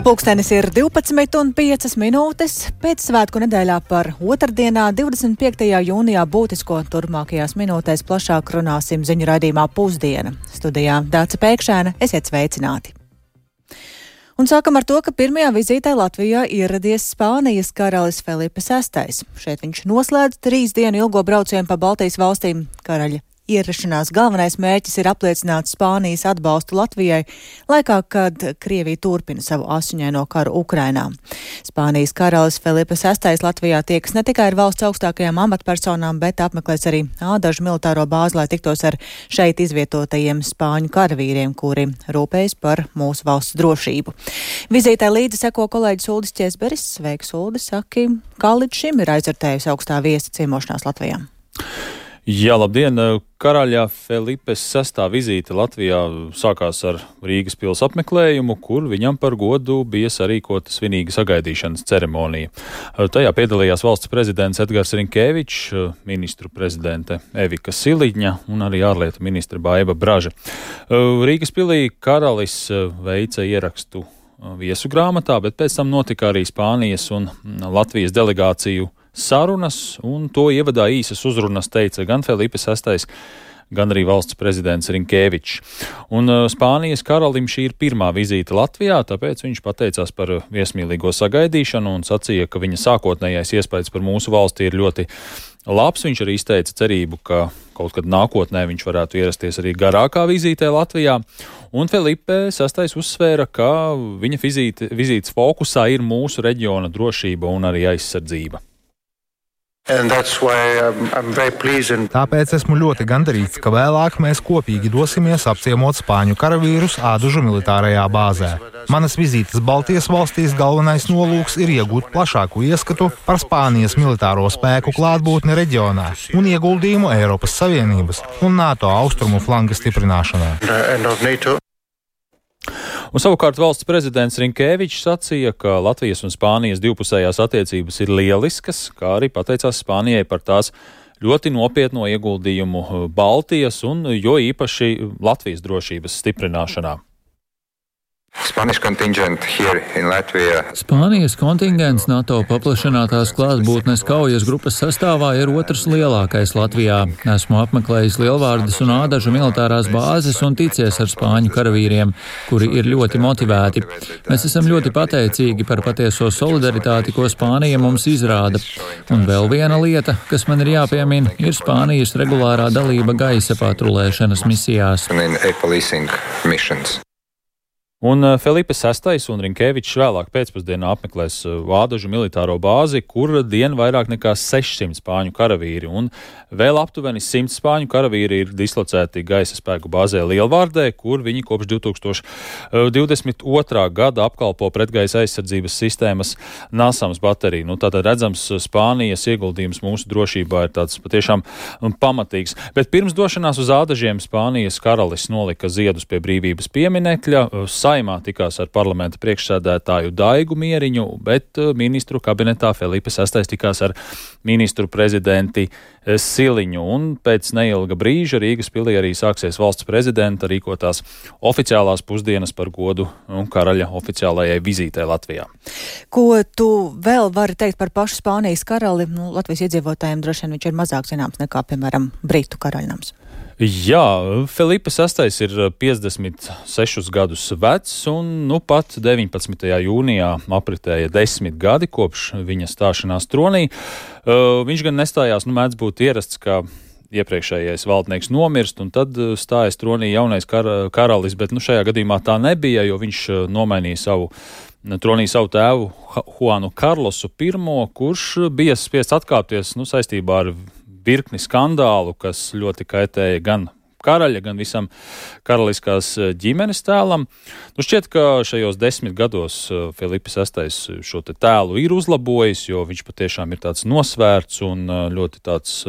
Pulkstenis ir 12:05. Pēc svētku nedēļā par otrdienā, 25. jūnijā būtisko turpmākajās minūtēs plašāk runāsim ziņu raidījumā Pusdiena. Studijā Dāca Pēkšēna, esiet sveicināti. Un sākam ar to, ka pirmajā vizītē Latvijā ieradies Spānijas karalis Felipe VI. Šeit viņš noslēdz 3 dienu ilgo braucienu pa Baltijas valstīm. Karaļa ierašanās galvenais mērķis ir apliecināt Spānijas atbalstu Latvijai, laikā, kad Krievija turpina savu asiņaino karu Ukrainā. Spānijas karalis Felipe VI Latvijā tiekas ne tikai ar valsts augstākajām amatpersonām, bet apmeklēs arī Ādažu militāro bāzi, lai tiktos ar šeit izvietotajiem spāņu karavīriem, kuri rūpējas par mūsu valsts drošību. Vizītē līdzi seko kolēģis Uldis Ķesberis. Sveiks, Uldis, saki, kā līdz šim ir aizvērtējusi augstā viesta ciemošanās Latvijā? Jā, labdien! Karaļa Felipe VI vizīte Latvijā sākās ar Rīgas pils apmeklējumu, kur viņam par godu bija sarīkota svinīga sagaidīšanas ceremonija. Tajā piedalījās valsts prezidents Edgars Rinkēvičs, ministru prezidente Evika Siliņa un arī ārlietu ministra Baiva Braža. Rīgas pilī karalis veica ierakstu viesu grāmatā, bet pēc tam notika arī Spānijas un Latvijas delegāciju sarunas, un to ievadā īsas uzrunas teica gan Felipe VI, gan arī valsts prezidents Rinkēvičs. Un Spānijas karalim šī ir pirmā vizīte Latvijā, tāpēc viņš pateicās par viesmīlīgo sagaidīšanu un sacīja, ka viņa sākotnējais iespējas par mūsu valsti ir ļoti labs. Viņš arī izteica cerību, ka kaut kad nākotnē viņš varētu ierasties arī garākā vizītē Latvijā. Un Felipe VI uzsvēra, ka viņa vizītes fokusā ir mūsu reģiona drošība un arī aizsardzība. Tāpēc esmu ļoti gandarīts, ka vēlāk mēs kopīgi dosimies apciemot spāņu karavīrus Ādažu militārajā bāzē. Manas vizītes Baltijas valstīs galvenais nolūks ir iegūt plašāku ieskatu par Spānijas militāro spēku klātbūtni reģionā un ieguldījumu Eiropas Savienības un NATO austrumu flanga stiprināšanā. Un savukārt valsts prezidents Rinkēvičs sacīja, ka Latvijas un Spānijas divpusējās attiecības ir lieliskas, kā arī pateicās Spānijai par tās ļoti nopietno ieguldījumu Baltijas un jo īpaši Latvijas drošības stiprināšanā. Spānijas kontingents NATO paplašinātās klātbūtnes kaujas grupas sastāvā ir otrs lielākais Latvijā. Esmu apmeklējis Lielvārdes un Ādažu militārās bāzes un ticies ar spāņu karavīriem, kuri ir ļoti motivēti. Mēs esam ļoti pateicīgi par patieso solidaritāti, ko Spānija mums izrāda. Un vēl viena lieta, kas man ir jāpiemina, ir Spānijas regulārā dalība gaisa patrulēšanas misijās. Un Felipe VI un Rinkēvičs vēlāk pēcpusdienā apmeklēs Ādažu militāro bāzi, kur dien vairāk nekā 600 spāņu karavīri, un vēl aptuveni 100 spāņu karavīri ir dislocēti gaisa spēku bāzē Lielvārdē, kur viņi kopš 2022. gada apkalpo pretgaisa aizsardzības sistēmas NASAMS bateriju. Tātad redzams, Spānijas ieguldījums mūsu drošībā ir tāds patiešām pamatīgs. Bet pirms došanās uz Ādažiem Spānijas karalis nolika ziedus pie brīvības pieminekļa. Saimā tikās ar parlamenta priekšsēdētāju Daigu Mieriņu, bet ministru kabinetā Felipe VI tikās ar ministru prezidenti Siliņu. Un pēc neilga brīža Rīgas pilī arī sāksies valsts prezidenta rīkotās oficiālās pusdienas par godu karaļa oficiālajai vizītē Latvijā. Ko tu vēl vari teikt par pašu Spānijas karali? Latvijas iedzīvotājiem droši vien viņš ir mazāk zināms nekā, piemēram, Britu karaļnams. Jā, Felipe VI ir 56 gadus vecs, un pat 19. jūnijā apritēja 10 gadi kopš viņa stāšanās tronī. Viņš gan nestājās, mēdz būt ierasts, ka iepriekšējais valdnieks nomirst, un tad stājas tronī jaunais karalis, bet šajā gadījumā tā nebija, jo viņš nomainīja tronī savu tēvu Juanu Karlosu I, kurš bija spiests atkāpties saistībā ar virkni skandālu, kas ļoti kaitēja gan karaļa, gan visam karaliskās ģimenes tēlam. Šķiet, ka šajos 10 gados Felipe VI šo tēlu ir uzlabojis, jo viņš patiešām ir tāds nosvērts un ļoti tāds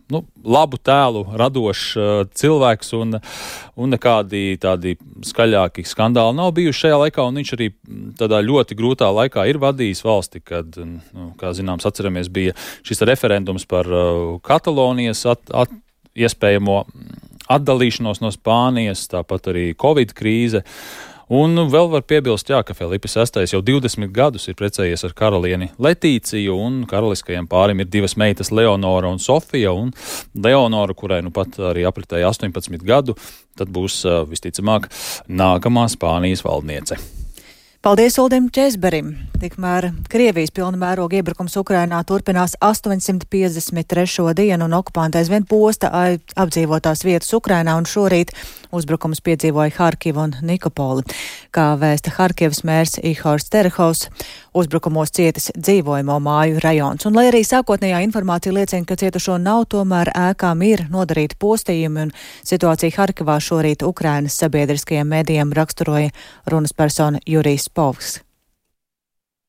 labu tēlu radošs cilvēks, un nekādi tādi skaļāki skandāli nav bijuši šajā laikā, un viņš arī tādā ļoti grūtā laikā ir vadījis valsti, kad, kā zināms, atceramies, bija šis referendums par Katalonijas iespējamo atdalīšanos no Spānijas, tāpat arī Covid krīze. Un vēl var piebilst, ka Filipa VI jau 20 gadus ir precējies ar karalieni Letīciju, un karaliskajam pārim ir divas meitas Leonora un Sofija, un Leonora, kurai nu pat arī apritēja 18 gadu, tad būs visticamāk nākamā Spānijas valdniece. Paldies Uldim Česberim. Tikmēr Krievijas pilna mēroga iebrukums Ukrainā turpinās 853. dienu, un okupanti aizvien posta apdzīvotās vietas Ukrainā, un šorīt uzbrukums piedzīvoja Harkivu un Nikopoli. Kā vēsta Harkivas mērs Ihors Terehovs, uzbrukumos cietis dzīvojamo māju rajons. Un lai arī sākotnējā informācija liecina, ka cietušo nav, tomēr ēkām ir nodarīti postījumi, un situācija Harkivā šorīt Ukrainas sabiedriskajiem medijiem raksturoja runas persona Jurijs Povs.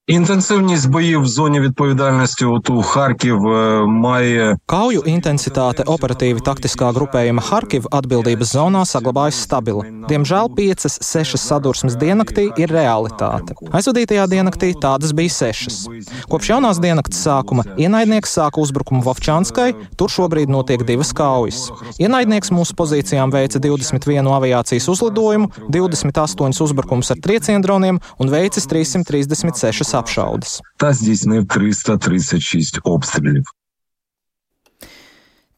Інтенсивність боїв в зоні відповідальності ОТУ Харків має... Kauju intensitāte operatīvi taktiskā grupējuma Harkiv atbildības zonā saglabājas stabila. Diemžēl 5-6 sadursmes diennaktī ir realitāte. Aizvadītajā diennaktī tādas bija 6. Kopš jaunās diennakts sākuma ienaidnieks sāka uzbrukumu Vovčanskai, tur šobrīd notiek 2 kaujas. Ienaidnieks mūsu pozīcijām veica 21 aviācijas uzlidojumu, 28 uzbrukums ar trieciendroniem un veicis 336 apšaudes. Та здійснив 336 обстрілів.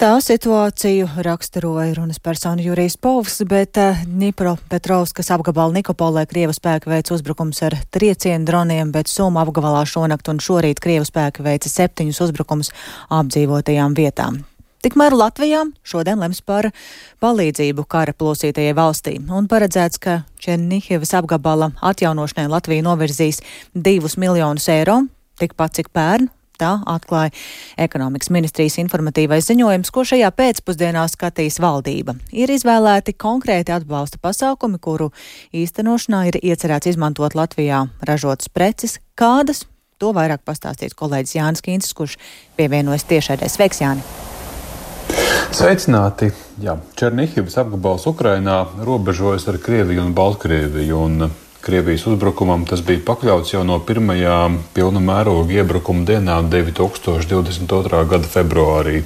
Tā situāciju raksturoja runas persona Jurijs Povs, bet Dņipropetrovskas apgabala Nikopolē Krievu spēki veica uzbrukums ar triecienu droniem, bet Suma apgabalā šonakt un šorīt Krievu spēki veica 7 uzbrukums apdzīvotajām vietām. Tikmēr Latvijā šodien lems par palīdzību kara plosītajai valstī, un paredzēts, ka Černihivas apgabala atjaunošanai Latvija novirzīs 2 miljonus eiro, tikpat cik pērn. Tā atklāja ekonomikas ministrijas informatīvais ziņojums, ko šajā pēcpusdienā skatīs valdība. Ir izvēlēti konkrēti atbalsta pasākumi, kuru īstenošanā ir iecerēts izmantot Latvijā ražotas preces. Kādas? To vairāk pastāstīs kolēģis Jānis Kīncis, kurš pievienojas tiešraidē. Sveiks, Jāni! Sveicināti! Jā, Černihivas apgabals Ukrainā robežojas ar Krieviju un Baltkrieviju, un Krievijas uzbrukumam tas bija pakļauts jau no pirmajām pilna mēroga iebrukuma dienām 2022. gada februārī.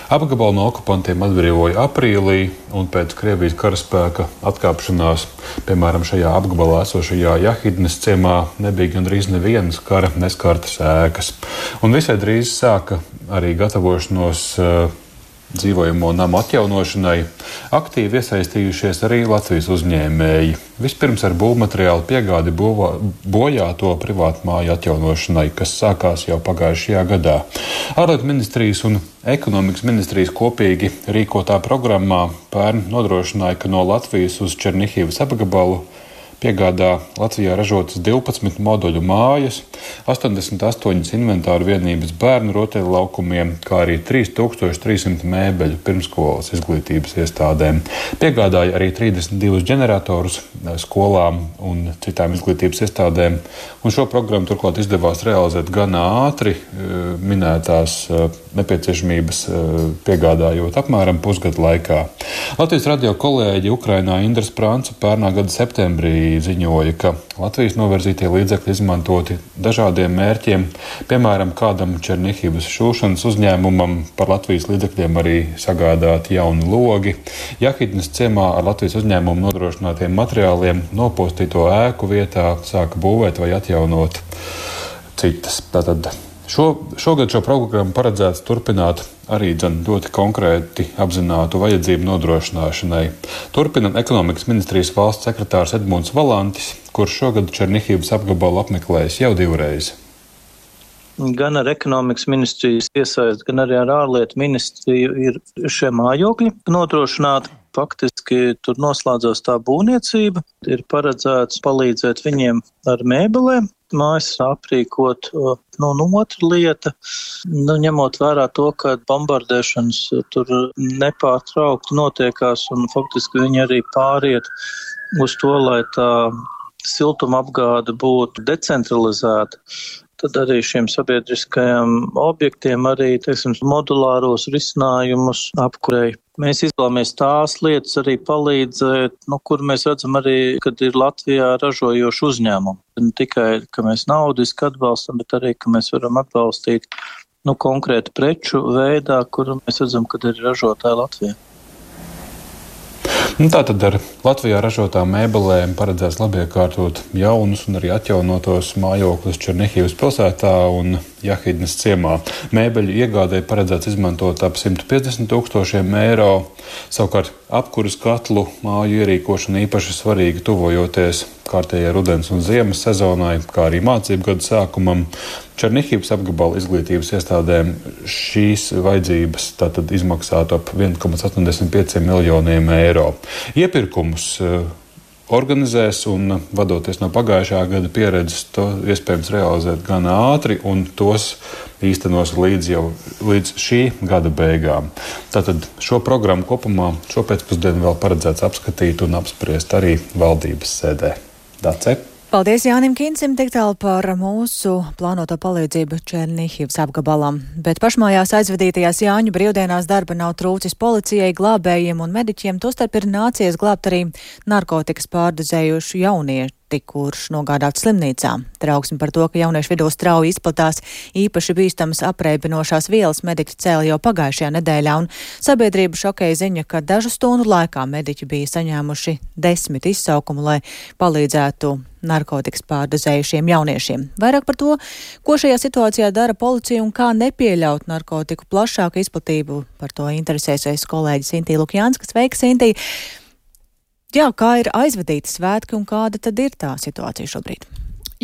Apgabalu no okupantiem atbrīvoja aprīlī, un pēc Krievijas karaspēka atkāpšanās, piemēram, šajā apgabalā esošajā Jahidnes ciemā, nebija gandrīz nevienas kara neskartas ēkas. Un visai drīz sāka arī gatavošanos dzīvojamo namu atjaunošanai, aktīvi iesaistījušies arī Latvijas uzņēmēji. Vispirms ar būvmateriālu piegādi bojāto privātu māju atjaunošanai, kas sākās jau pagājušajā gadā. Ārlietu ministrijas un ekonomikas ministrijas kopīgi rīkotā programmā pērn nodrošināja, ka no Latvijas uz Černihivas apgabalu piegādā Latvijā ražotas 12 moduļu mājas, 88 inventāru vienības bērnu rotaļu laukumiem, kā arī 3300 mēbeļu pirmskolas izglītības iestādēm. Piegādāja arī 32 ģeneratorus skolām un citām izglītības iestādēm, un šo programmu turklāt izdevās realizēt gan ātri, minētās nepieciešamības piegādājot apmēram pusgadu laikā. Latvijas radio kolēģi Ukrainā Indra Sprānce pērnā gada septembrī ziņoja, ka Latvijas novirzītie līdzekļi izmantoti dažādiem mērķiem, piemēram, kādam Černihivas šūšanas uzņēmumam par Latvijas līdzekļiem arī sagādāti jauni logi, Jahidnes ciemā ar Latvijas uzņēmumu nodrošinātiem materiāliem nopostīto ēku vietā sāka būvēt vai atjaunot citas. Tātad šogad šo programmu paredzēts turpināt arī ļoti konkrēti apzinātu vajadzību nodrošināšanai. Turpina ekonomikas ministrijas valsts sekretārs Edmunds Valantis, kurš šogad Černihivas apgabalu apmeklējis jau 2 reizes. Gan ar ekonomikas ministrijas iesaist, gan arī ar ārlietu ministriju ir šie mājokļi nodrošināti. Faktiski tur noslēdzās tā būvniecība. Ir paredzēts palīdzēt viņiem ar mēbelēm, mājas aprīkot. Un otra lieta, ņemot vērā to, ka bombardēšanas tur nepārtraukti notiekās un faktiski viņi arī pāriet uz to, lai tā siltuma apgāde būtu decentralizēta. Tad arī šiem sabiedriskajiem objektiem arī, modulāros risinājumus apkurēja. Mēs izvēlamies tās lietas arī palīdzēt, kur mēs redzam arī, kad ir Latvijā ražojoši uzņēmumi. Ne tikai, ka mēs naudiski atbalstam, bet arī, ka mēs varam atbalstīt konkrētu preču veidā, kur mēs redzam, kad ir ražotāji Latvijā. Tātad ar Latvijā ražotām mēbelēm paredzēts labiekārtot jaunus un arī atjaunotos mājokļus Černihivas pilsētā un Jahidnes ciemā. Mēbeļu iegādē paredzēts izmantot ap 150 000 eiro. Savukārt apkuras katlu māju ierīkošana īpaši svarīga tuvojoties kārtējai rudens un ziemas sezonai, kā arī mācību gadu sākumam. Černihivas apgabala izglītības iestādēm šīs vajadzības tātad izmaksātu ap 1,85 miljoniem eiro. Iepirkumus organizēs un, vadoties no pagājušā gada pieredzes, to iespējams realizēt gan ātri un tos īstenos līdz šī gada beigām. Tātad šo programmu kopumā šo pēcpusdienu vēl paredzēts apskatīt un apspriest arī valdības sēdē. Dace. Paldies Jānim Kincim tik tālu par mūsu plānoto palīdzību Černihivas apgabalam. Bet pašmājās aizvadītajās Jāņu brīvdienās darba nav trūcis policijai, glābējiem un mediķiem, tostarp ir nācies glābt arī narkotikas pārdozējušu jaunieti, kurš nogādāts slimnīcā. Trauksmi par to, ka jauniešu vidū strauji izplatās īpaši bīstamas apreibinošās vielas, mediķi cēla jau pagājušajā nedēļā, un sabiedrība šokēja ziņa, ka dažu stundu laikā mediķi bija saņēmuši 10 izsaukumu, lai palīdzētu narkotikas pārdozējušiem jauniešiem. Vairāk par to, ko šajā situācijā dara policija un kā nepieļaut narkotiku plašāku izplatību, par to interesēsies kolēģis Intī Lukjānskas. Sveika, Intī! Jā, kā ir aizvadīti svētki un kāda tad ir tā situācija šobrīd?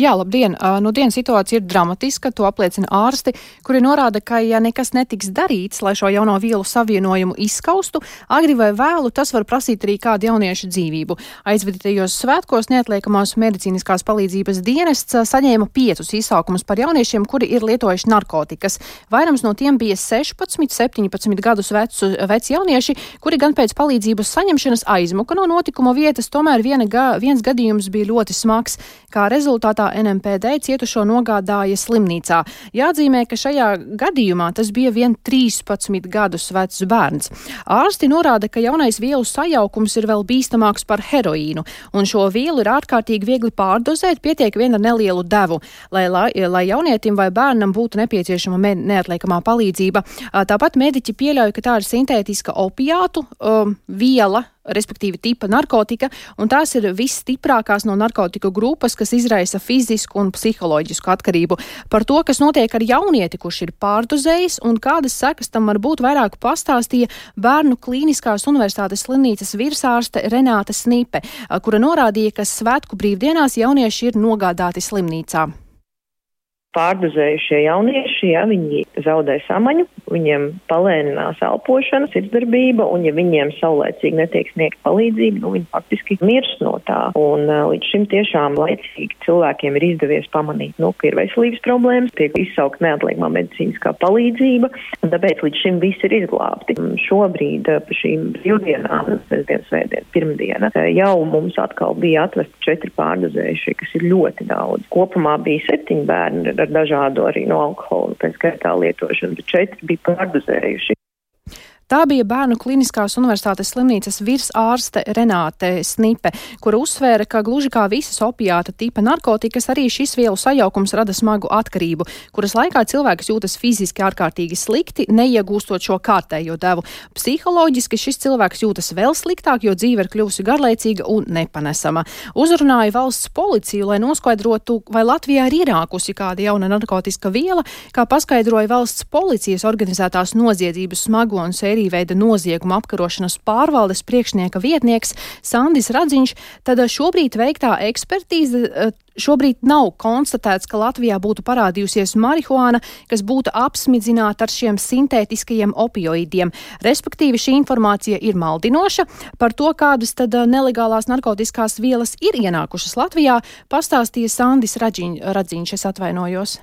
Jā, labdien! Dienas situācija ir dramatiska, to apliecina ārsti, kuri norāda, ka ja nekas netiks darīts, lai šo jauno vielu savienojumu izskaustu, agri vai vēlu tas var prasīt arī kādu jauniešu dzīvību. Aizvadītajos svētkos neatliekamās medicīniskās palīdzības dienests saņēma 5 izsaukumus par jauniešiem, kuri ir lietojuši narkotikas. Vairums no tiem bija 16, 17 gadus veci jaunieši, kuri gan pēc palīdzības saņemšanas aizmuka no notikuma vietas, tomēr viens gadījums bija ļoti smags. Kā rezultātā NMPD cietušo nogādāja slimnīcā. Jāatzīmē, ka šajā gadījumā tas bija vien 13 gadus vecs bērns. Ārsti norāda, ka jaunais vielu sajaukums ir vēl bīstamāks par heroīnu, un šo vielu ir ārkārtīgi viegli pārdozēt, pietiek vien ar nelielu devu, lai jaunietim vai bērnam būtu nepieciešama neatliekamā palīdzība. Tāpat mediķi pieļauj, ka tā ir sintētiska opiātu viela, respektīvi tipa narkotika, un tās ir visstiprākās no narkotiku grupas, kas izraisa fizisku un psiholoģisku atkarību. Par to, kas notiek ar jaunieti, kurš ir pārdozējis un kādas sekas tam var būt, vairāk pastāstīja Bērnu Klīniskās universitātes slimnīcas virsārste Renāte Snipe, kura norādīja, ka svētku brīvdienās jaunieši ir nogādāti slimnīcā. Pārdozējušie jaunieši, ja viņi zaudē samaņu, viņiem palēninās elpošana, sirdsdarbība, un ja viņiem saulēcīgi netiek sniegt palīdzību, viņi faktiski mirst no tā. Un līdz šim tiešām laicīgi cilvēkiem ir izdevies pamanīt, ka ir veselības problēmas, tiek izsaukt neatliekamā medicīniskā palīdzība, un tāpēc līdz šim viss ir izglābti. Šobrīd pa šīm brīvdienām, sestdien, svētdien, pirmdiena, jau mums atkal bija atvesti 4 pārdozējušie, kas ir ļoti daudz. Kopumā bija 7 bērni ar dažādu arī no alkohola, pēc skaitā lietošanu, bet 4 bija pārdozējuši. Tā bija Bērnu Klīniskās universitātes slimnīcas virsārste Renāte Snipe, kura uzsvēra, ka gluži kā visas opiāta tipa narkotikas, arī šis vielu sajaukums rada smagu atkarību, kuras laikā cilvēks jūtas fiziski ārkārtīgi slikti, neiegūstot šo kārtējo devu. Psiholoģiski šis cilvēks jūtas vēl sliktāk, jo dzīve ir kļuvusi garlaicīga un nepanesama. Uzrunāja valsts policiju, lai noskaidrotu, vai Latvijā ir ienākusi kāda jauna narkotiska viela, kā paskaidroja valsts policijas organizētās noziedzības smago un sēriju veida nozieguma apkarošanas pārvaldes priekšnieka vietnieks Sandis Radziņš, tad šobrīd veiktā ekspertīze šobrīd nav konstatēts, ka Latvijā būtu parādījusies marihuāna, kas būtu apsmidzināta ar šiem sintētiskajiem opioīdiem. Respektīvi, šī informācija ir maldinoša. Par to, kādas tad nelegālās narkotiskās vielas ir ienākušas Latvijā, pastāstīja Sandis Radziņš, es atvainojos.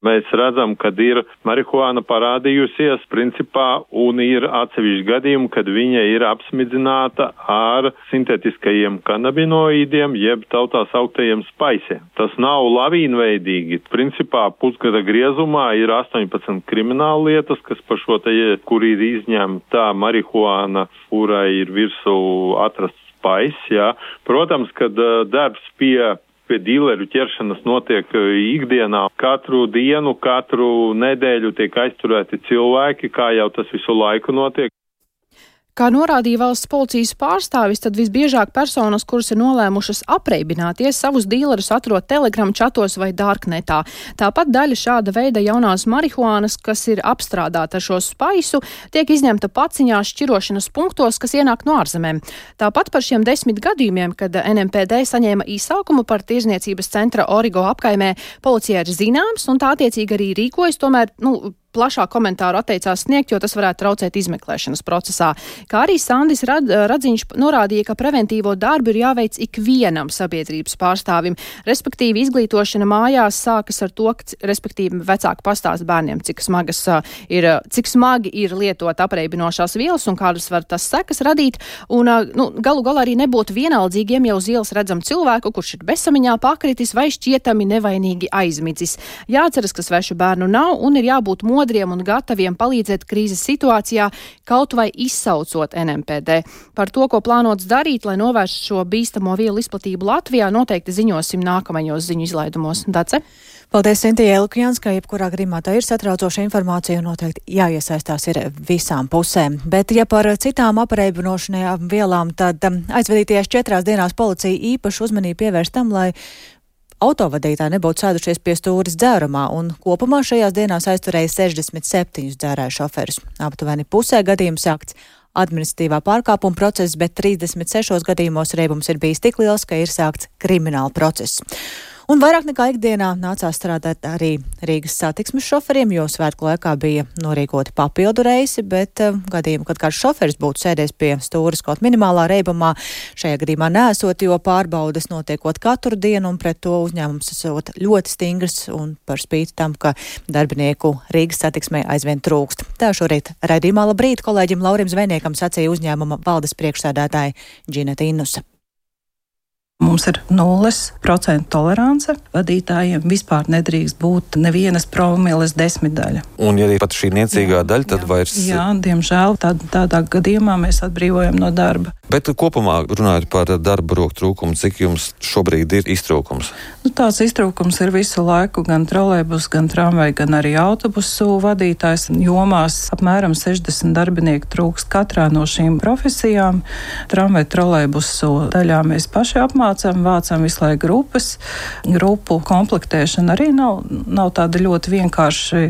Mēs redzam, kad ir marihuāna parādījusies principā un ir atsevišķi gadījumi, kad viņa ir apsmidzināta ar sintētiskajiem kanabinoīdiem, jeb tautā sauktajiem spaisiem. Tas nav lavīnveidīgi. Principā pusgada griezumā ir 18 krimināla lietas, kas par šo te, kur ir izņemta marihuāna, kurai ir virsū atrasts spais, jā. Protams, kad darbs pie dīleru ķeršanas notiek ikdienā. Katru dienu, katru nedēļu tiek aizturēti cilvēki, kā jau tas visu laiku notiek. Kā norādīja valsts policijas pārstāvis, tad visbiežāk personas, kuras ir nolēmušas apreibināties, savus dīlerus atrod Telegram čatos vai Darknetā. Tāpat daļa šāda veida jaunās marihuānas, kas ir apstrādāta ar šo spaisu, tiek izņemta paciņās šķirošanas punktos, kas ienāk no ārzemēm. Tāpat par šiem 10 gadījumiem, kad NMPD saņēma īsaukumu par tirzniecības centra Origo apkaimē, policija ir zināms, un tā attiecīgi arī rīkojas, tomēr, plašāk komentāru atteicās sniegt, jo tas varētu traucēt izmeklēšanas procesā. Kā arī Sandis Radziņš norādīja, ka preventīvo darbu ir jāveic ikvienam sabiedrības pārstāvim, respektīvi izglītošana mājās sākas ar to, ka, respektīvi, vecāki pastāst bērniem, cik smagi ir lietot apreibinošās vielas un kādas var tas sekas radīt, un galu galā arī nebūtu vienaldzīgiem, ja uz ielas redzam cilvēku, kurš ir bezsamiņā pakritis vai šķietami nevainīgi aizmidzis. Jāceras, ka svešu bērnu nav un ir jābūt modriem un gataviem palīdzēt krīzes situācijā, kaut vai izsaucot NMPD. Par to, ko plānots darīt, lai novērstu šo bīstamo vielu izplatību Latvijā, noteikti ziņosim nākamajos ziņu izlaidumos. Dace? Paldies, Sintija Elkjāns, ka jebkurā gadījumā tā ir satraucoša informācija un noteikti jāiesaistās ir visām pusēm. Bet, ja par citām apreibinošanajām vielām, tad aizvadītajās 4 dienās policija īpaši uzmanību pievērš tam, lai autovadītāji nebūtu sēdušies pie stūres dzērumā, un kopumā šajās dienās aizturēja 67 dzērāju šoferus. Aptuveni pusē gadījumu sākts administratīvā pārkāpuma process, bet 36 gadījumos reibums ir bijis tik liels, ka ir sākts krimināla process. Un vairāk nekā ikdienā nācās strādāt arī Rīgas satiksmes šoferiem, jo svētku laikā bija norīkoti papildu reisi, bet gadījumu, kad kāds šoferis būtu sēdies pie stūres kaut minimālā reibumā, šajā gadījumā neesot, jo pārbaudes notiekot katru dienu, un pret to uzņēmums esot ļoti stingrs, un par spīti tam, ka darbinieku Rīgas satiksmē aizvien trūkst. Tā šorīt raidījumā Labrīt kolēģim Laurim Zvejniekam sacīja uzņēmuma valdes priekšsēdētāja Džineta Innusa. Mums ir 0% tolerance. Vadītājiem vispār nedrīkst būt nevienas promiles desmitdaļa. Un ja arī pat šī niecīgā daļa, tad vairs... Jā, diemžēl tādā gadījumā mēs atbrīvojam no darba. Bet kopumā runājot par darba roku trūkumu, cik jums šobrīd ir iztrūkums? Tās iztrūkums ir visu laiku gan trolejbus, gan tramvaju, gan arī autobusu vadītājs. Jomās apmēram 60 darbinieku trūkst katrā no šīm profesijām. Tramvaju, trolejbusu daļā mēs paši vācam visu laiku grupas. Grupu komplektēšana arī nav tāda ļoti vienkārši.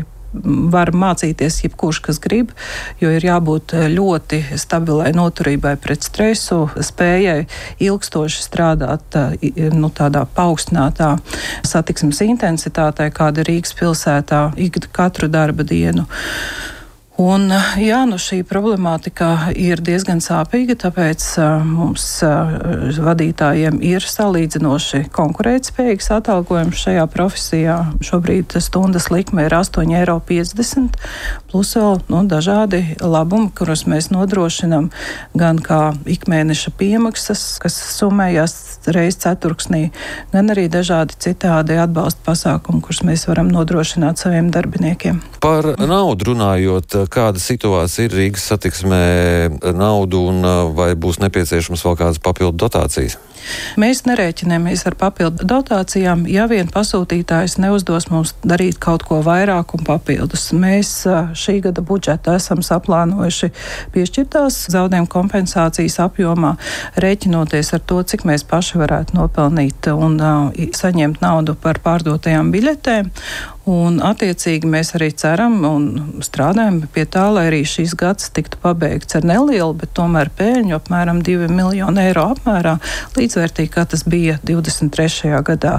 Var mācīties jebkurš, kas grib, jo ir jābūt ļoti stabilai noturībai pret stresu, spējai ilgstoši strādāt tādā paaugstinātā satiksmes intensitātē, kāda Rīgas pilsētā katru darba dienu. Un, šī problemātika ir diezgan sāpīga, tāpēc mums vadītājiem ir salīdzinoši konkurētspējīgs atalgojums šajā profesijā. Šobrīd stundas likme ir 8,50 €, plus vēl dažādi labumi, kurus mēs nodrošinam gan kā ikmēneša piemaksas, kas summējas reiz ceturksnī, gan arī dažādi citādi atbalsta pasākumi, kurus mēs varam nodrošināt saviem darbiniekiem. Par naudu runājot, kāda situācija ir Rīgas satiksmē naudu un vai būs nepieciešams vēl kādas papildu dotācijas? Mēs nerēķinamies ar papildu dotācijām, ja vien pasūtītājs neuzdos mums darīt kaut ko vairāk un papildus. Mēs šī gada budžetā esam saplānojuši piešķirtās zaudējuma kompensācijas apjomā, rēķinoties ar to, cik mēs paši varētu nopelnīt un saņemt naudu par pārdotajām biļetēm. Un attiecīgi mēs arī ceram un strādājam pie tā, lai arī šīs gads tiktu pabeigts ar nelielu, bet tomēr pēļņu apmēram 2 miljonu eiro apmērā, līdzvērtīgi, kā tas bija 23. gadā.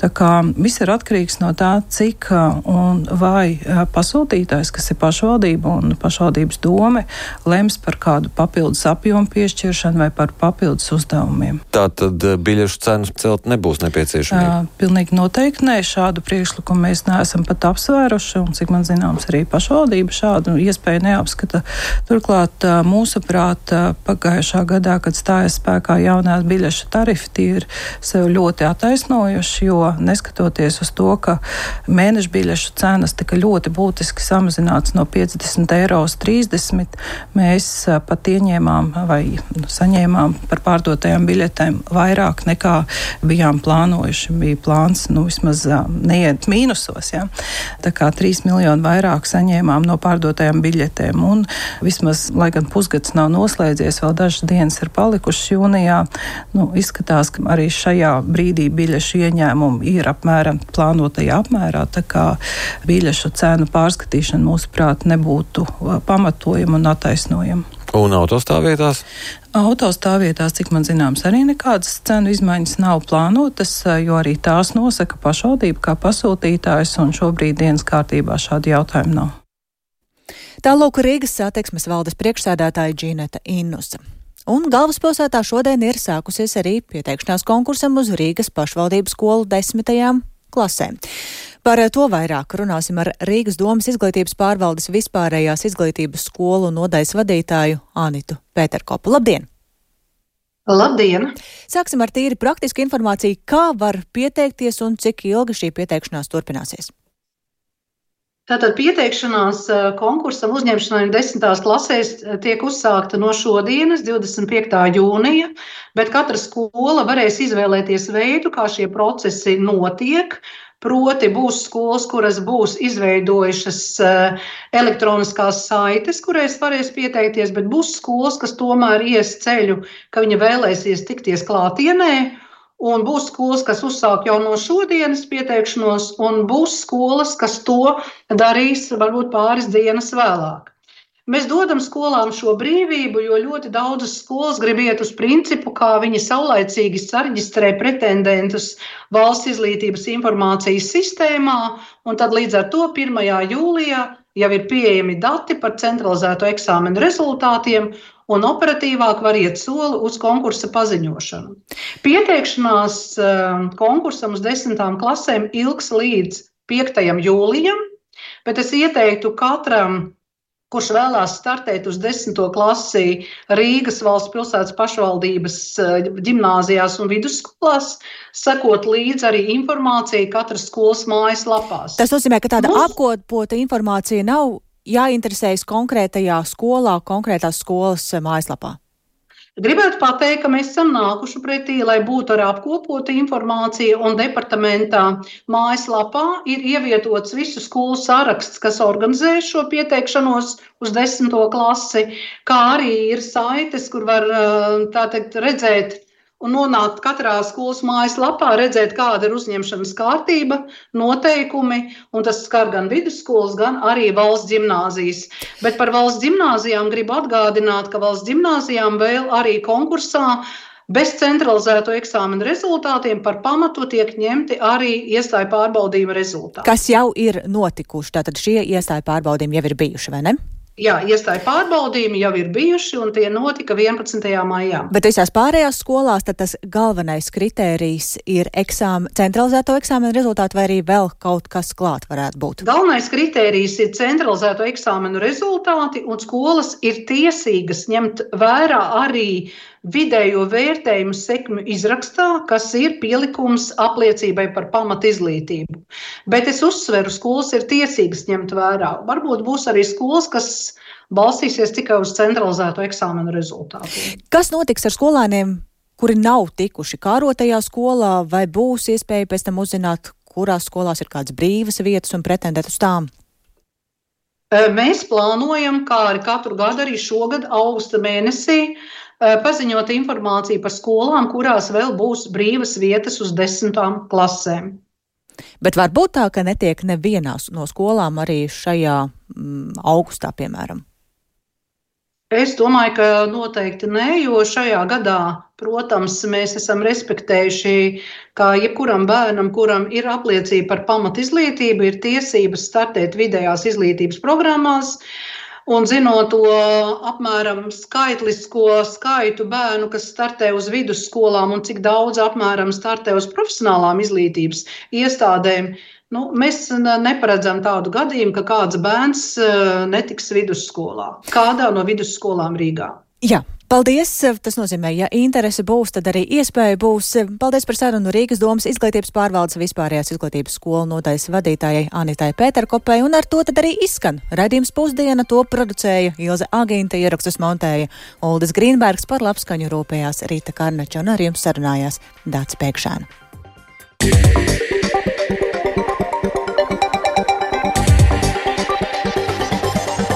Tā kā viss ir atkarīgs no tā, cik un vai pasūtītājs, kas ir pašvaldība un pašvaldības dome, lems par kādu papildus apjomu piešķiršanu vai par papildus uzdevumiem. Tātad biļešu cenas celt nebūs nepieciešamība? Pilnīgi noteikti nē, šādu priekšlikumu mēs neesam pat apsvēruši, un cik man zināms, arī pašvaldība šādu iespēju neapskata. Turklāt, mūsuprāt, pagājušā gadā, kad stājas spēkā jaunās biļešu tarifi, tie ir sev ļoti attaisnojuši, jo neskatoties uz to, ka mēneša biļešu cenas tika ļoti būtiski samazināts no 50 € uz 30, mēs pat ieņēmām vai saņēmām par pārdotajām biļetēm vairāk vairāk nekā bijām plānojuši. Bija plāns, vismaz neiet mīnusos, ja. Tā kā 3 miljoni vairāk saņēmām no pārdotajām biļetēm. Un vismaz, lai gan pusgads nav noslēdzies, vēl dažas dienas ir palikušas jūnijā, izskatās, ka arī šajā brīdī biļešu ieņēmumi ir apmēram plānotajā apmērā, tā kā biļešu cenu pārskatīšana mūsuprāt nebūtu pamatojama un attaisnojama. Un autostāvvietās? Autostāvvietās, cik man zināms, arī nekādas cenu izmaiņas nav plānotas, jo arī tās nosaka pašvaldība kā pasūtītājs, un šobrīd dienas kārtībā šādi jautājumi nav. Tālūk Rīgas satiksmes valdes priekšsēdētāja Džineta Innusa. Un galvaspilsētā šodien ir sākusies arī pieteikšanās konkursam uz Rīgas pašvaldības skolu 10. klasēm. Par to vairāk runāsim ar Rīgas domas izglītības pārvaldes vispārējās izglītības skolu nodaļas vadītāju Anitu Pēterkopu. Labdien! Labdien! Sāksim ar tīri praktisku informāciju, kā var pieteikties un cik ilgi šī pieteikšanās turpināsies. Tātad pieteikšanās konkursam uzņemšanai 10. klasēs tiek uzsākta no šodienas, 25. jūnija, bet katra skola varēs izvēlēties veidu, kā šie procesi notiek. Proti būs skolas, kuras būs izveidojušas elektroniskās saites, kurēs varēs pieteikties, bet būs skolas, kas tomēr ies ceļu, ka viņa vēlēsies tikties klātienē, un būs skolas, kas uzsāk jau no šodienas pieteikšanos, un būs skolas, kas to darīs varbūt pāris dienas vēlāk. Mēs dodam skolām šo brīvību, jo ļoti daudzas skolas grib iet uz principu, kā viņi saulaicīgi sareģistrē pretendentus valsts izglītības informācijas sistēmā, un tad līdz ar to 1. jūlijā jau ir pieejami dati par centralizēto eksāmenu rezultātiem, un operatīvāk var iet soli uz konkursa paziņošanu. Pieteikšanās konkursam uz 10. klasēm ilgs līdz 5. jūlijam, bet es ieteiktu katram, kurš vēlās startēt uz 10. klasi Rīgas valsts pilsētas pašvaldības ģimnāzijās un vidusskolās, sekot līdz arī informācija katras skolas mājaslapās. Tas nozīmē, ka tāda apkopota informācija nav jāinteresējas konkrētajā skolā, konkrētās skolas mājaslapā. Gribētu pateikt, ka mēs esam nākuši pretī, lai būtu arī apkopota informācija, un departamentā mājaslapā ir ievietots visu skolu saraksts, kas organizē šo pieteikšanos uz 10. klasi, kā arī ir saites, kur var redzēt un nonākt katrā skolas mājaslapā, redzēt, kāda ir uzņemšanas kārtība, noteikumi, un tas skar gan vidusskolas, gan arī valsts ģimnāzijas. Bet par valsts ģimnāzijām gribu atgādināt, ka valsts ģimnāzijām vēl arī konkursā bez centralizēto eksāmenu rezultātiem par pamatu tiek ņemti arī iestāju pārbaudījuma rezultāti. Kas jau ir notikuši, tātad šie iestāju pārbaudījumi jau ir bijuši, vai ne? Jā, iestāju pārbaudījumi jau ir bijuši, un tie notika 11. maijā. Bet visās pārējās skolās tad tas galvenais kritērijs ir centralizēto eksāmenu rezultāti, vai arī vēl kaut kas klāt varētu būt? Galvenais kritērijs ir centralizēto eksāmenu rezultāti, un skolas ir tiesīgas ņemt vērā arī vidējo vērtējumu sekmju izrakstā, kas ir pielikums apliecībai par pamatizglītību. Bet es uzsveru, skolas ir tiesīgas ņemt vērā. Varbūt būs arī skolas, kas balstīsies tikai uz centralizēto eksāmenu rezultātiem. Kas notiks ar skolēniem, kuri nav tikuši kārotajā skolā, vai būs iespēja pēc tam uzzināt, kurās skolās ir kādas brīvas vietas un pretendēt uz tām? Mēs plānojam, kā arī katru gadu, arī šogad augusta mēnesī, paziņot informāciju par skolām, kurās vēl būs brīvas vietas uz 10. klasēm. Bet var būt tā, ka netiek nevienās no skolām arī šajā augustā, piemēram? Es domāju, ka noteikti nē, jo šajā gadā, protams, mēs esam respektējuši, ka jebkuram bērnam, kuram ir apliecība par pamatizglītību, ir tiesības startēt vidējās izglītības programmās. Un zinot to apmēram skaitlisko skaitu bērnu, kas startē uz vidusskolām un cik daudz apmēram startē uz profesionālām izglītības iestādēm, mēs neparedzam tādu gadījumu, ka kāds bērns netiks vidusskolā, kādā no vidusskolām Rīgā. Jā, Paldies! Tas nozīmē, ja interese būs, tad arī iespēja būs. Paldies par sarunu Rīgas domas izglītības pārvaldes vispārējās izglītības skolu nodaļas vadītājai Anitai Pēterkopei, un ar to tad arī izskan raidījums Pusdiena. To producēja Ilze Agīnta, ierakstus montēja Uldis Grīnbergs, par labskaņu rūpējās Rīta Karnača, un ar jums sarunājās Dācis Pēkšēna.